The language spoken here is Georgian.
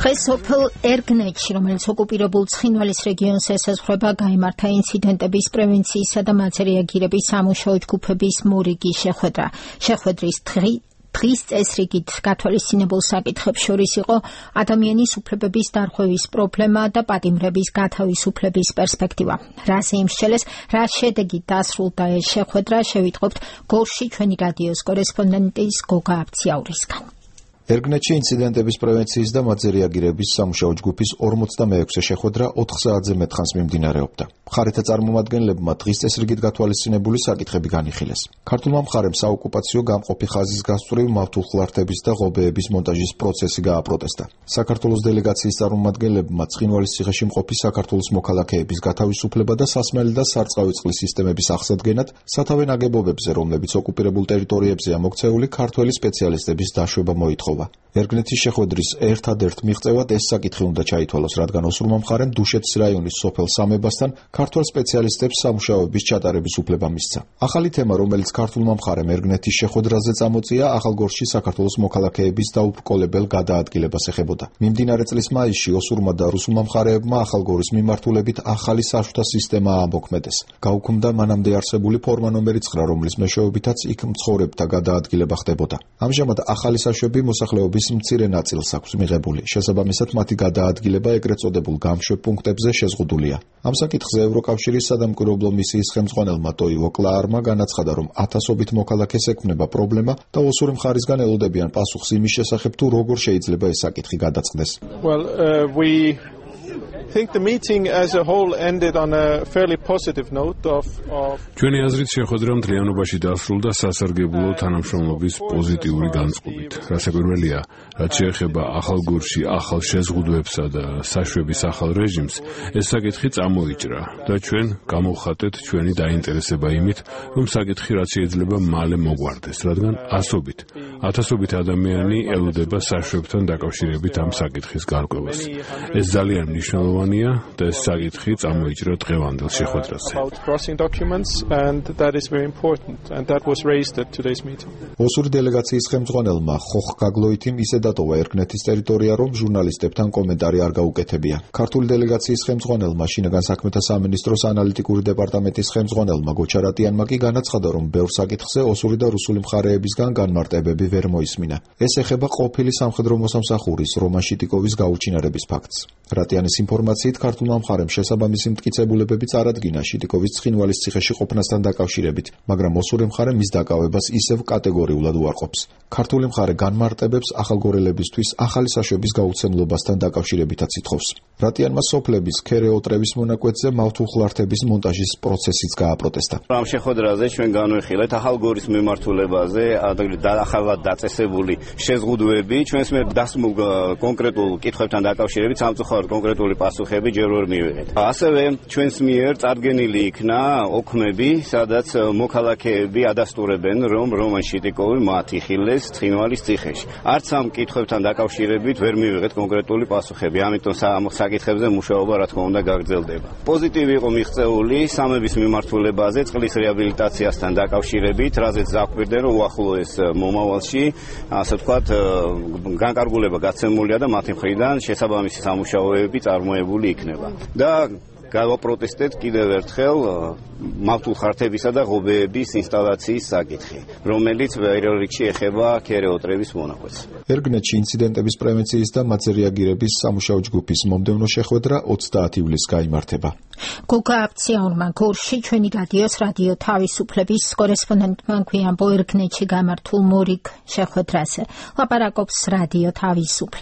დღეს სოფელ ერგნეთში, რომელიც ოკუპირებულ ცხინვალის რეგიონს ესაზღვრება, გაიმართა ინციდენტების პრევენციისა და მათზე რეაგირების სამუშაო ჯგუფების მორიგი შეხვედრა. შეხვედრის დღის წესრიგით გათვალისწინებულ საკითხებს შორის იყო ადამიანის უფლებების დარღვევის პრობლემა და პატიმრების გათავისუფლების პერსპექტივა. რაზე იმსჩელეს, რა შედეგით დასრულდა ეს შეხვედრა, შევიტყობთ გორში ჩვენი რადიოს კორესპონდენტის გოგა აბციაურისგან. ერგნეთში ინციდენტების პრევენციის და მათზე რეაგირების სამუშაო ჯგუფის 46-ე შეხვედრა 4 საათზე მეტ ხანს მიმდინარეობდა. მხარეთა წარმომადგენლებმა დღის წესრიგით გათვალისწინებული საკითხები განიხილეს. ქართულმა მხარემ საოკუპაციო გამყოფი ხაზის გასწვრივ მავთულხლართების და ღობეების მონტაჟის პროცესი გააპროტესტა. საქართველოს დელეგაციის წარმომადგენლებმა ცხინვალის ციხეში მყოფი საქართველოს მოქალაქეების გათავისუფლება და სასმელი და სარწყავი წყლის სისტემების აღსადგენად სათავე ნაგებობებზე, რომლებიც ოკუპირებულ ტერიტორიებზეა მოქცეული, ქართველი სპეციალისტების დაშვება მოითხოვა. ერგნეთის შეხვედრის ერთადერთ მიღწევად ეს საკითხი უნდა ჩაითვალოს, რადგან ოსურმა მხარემ დუშეთის რაიონის სოფელ სამებასთან ქართველ სპეციალისტებს სამუშაოების ჩატარების უფლება მისცა. ახალი თემა, რომელიც ქართულმა მხარემ ერგნეთის შეხვედრაზე წამოწია, ახალგორში საქართველოს მოქალაქეების დაუბრკოლებელ გადაადგილებას ეხებოდა. მიმდინარე წლის მაისში ოსურმა და რუსულმა მხარეებმა ახალგორის მიმართულებით ახალი საშუთა სისტემა ამოქმედეს. გაუქმდა მანამდე არსებული ფორმა ნომერი 9, რომლის მეშვეობითაც იქ მცხოვრებთა გადაადგილება ხდებოდა. ამჟამად ახალი საშვები მოსახლეობის მცირე ნაწილს აქვს მიღებული. შესაბამისად, მათი გადაადგილება ეგრეთ წოდებულ გამშვებ პუნქტებზე შეზღუდულია. ამ საკითხზე ევროკავშირის სადამკვირვებლო მისიის ხელმძღვანელმა ტოივო კლაარმა განაცხადა, რომ ათასობით მოქალაქეს ექმნება პრობლემა და ოსური მხარისგან ელოდებიან პასუხს იმის შესახებ, თუ როგორ შეიძლება ეს საკითხი გადაწყდეს. ჩვენი აზრით შეხვედრა მთლიანობაში დასრულდა სასარგებლო თანამშრომლობის პოზიტიური განწყობით. რასაკვირველია, რაც შეეხება ახალგორში ახალ შეზღუდვებსა და საშვების ახალ რეჟიმს, ეს საკითხი წამოიჭრა და ჩვენ გამოვხატეთ ჩვენი დაინტერესება იმით, რომ საკითხი რაც შეიძლება მალე მოგვარდეს, რადგან ათასობით ადამიანი ელოდება საშვებთან დაკავშირებით ამ საკითხის გარკვევას. ეს ძალიან მნიშვნელოვანია და ეს საკითხი წამოიჭრა დღევანდელ შეხვედრაზე. ოსური დელეგაციის ხელმძღვანელმა ხოხ გაგლოითიმ ისე დატოვა ერგნეთის ტერიტორია, რომ ჟურნალისტებთან კომენტარი არ გაუკეთებია. ქართული დელეგაციის ხელმძღვანელმა, შინაგან საქმეთა სამინისტროს ანალიტიკური დეპარტამენტის ხელმძღვანელმა გოჩარატიანმა კი განაცხადა, რომ ბევრ საკითხზე ოსური და რუსული მხარეებისგან განმარტებები ვერ მოისმინა. ეს ეხება ყოფილი სამხედრო მოსამსახურის რომან შიტიკოვის გაუჩინარების ფაქტს. რატიანის ინფორმაციით, ქართულმა მხარემ შესაბამისი მტკიცებულებები წარადგინა შიტიკოვის ცხინვალის ციხეში ყოფნასთან დაკავშირებით, მაგრამ ოსური მხარე მის დაკავებას ისევ კატეგორიულად უარყოფს. ქართული მხარე განმარტებებს ახალგორელებისთვის ახალი საშვების გაუცემლობასთან დაკავშირებითაც ითხოვს. რატიანმა სოფლების ქერეოტრევის მონაკვეთზე მავთულხლართების მონტაჟის პროცესიც გააპროტესტა. ამ შეხვედრაზე ჩვენ განვიხილეთ ახალგორის მიმართულებაზე ახალად დაწესებული შეზღუდვები, ჩვენს მიერ დასმულ კონკრეტულ კითხვებთან დაკავშირებით სამწუხაროდ კონკრეტული პასუხები ჯერ ვერ მივიღეთ. ასევე ჩვენს მიერ წარდგენილი იქნა ოქმები, სადაც მოქალაქეები ადასტურებენ, რომ რომან შიტიკოვი მათ იხილეს ცხინვალის ციხეში. არც ამ კითხვებთან დაკავშირებით ვერ მივიღეთ კონკრეტული პასუხები, ამიტომ ამ საკითხებზე მუშაობა რა თქმა უნდა გაგრძელდება. პოზიტივი იყო მიღწეული სამების მიმართულებაზე წყლის რეაბილიტაციასთან დაკავშირებით, რაზეც დაგვირდნენ, რომ უახლოეს მომავალში, ასე ვთქვათ, განკარგულება გაცემულია და მათი მხრიდან შესაბამისი სამუშაოები წარმოებული იქნება. და გავაპროტესტეთ კიდევ ერთხელ მავთულხლართებისა და ღობეების ინსტალაციის საკითხი, რომელიც პირველ რიგში ეხება ქერეოტრევის მონაკვეთს. ერგნეთში ინციდენტების პრევენციის და მათზე რეაგირების სამუშაო ჯგუფის მომდევნო შეხვედრა 30 ივლისს გაიმართება. გოგა აბციაურმა გორში ჩვენი რადიოს რადიო თავისუფლების კორესპონდენტმა გვიამბო ერგნეთში გამართულ მორიგ შეხვედრაზე. ლაპარაკობს რადიო თავისუფლება.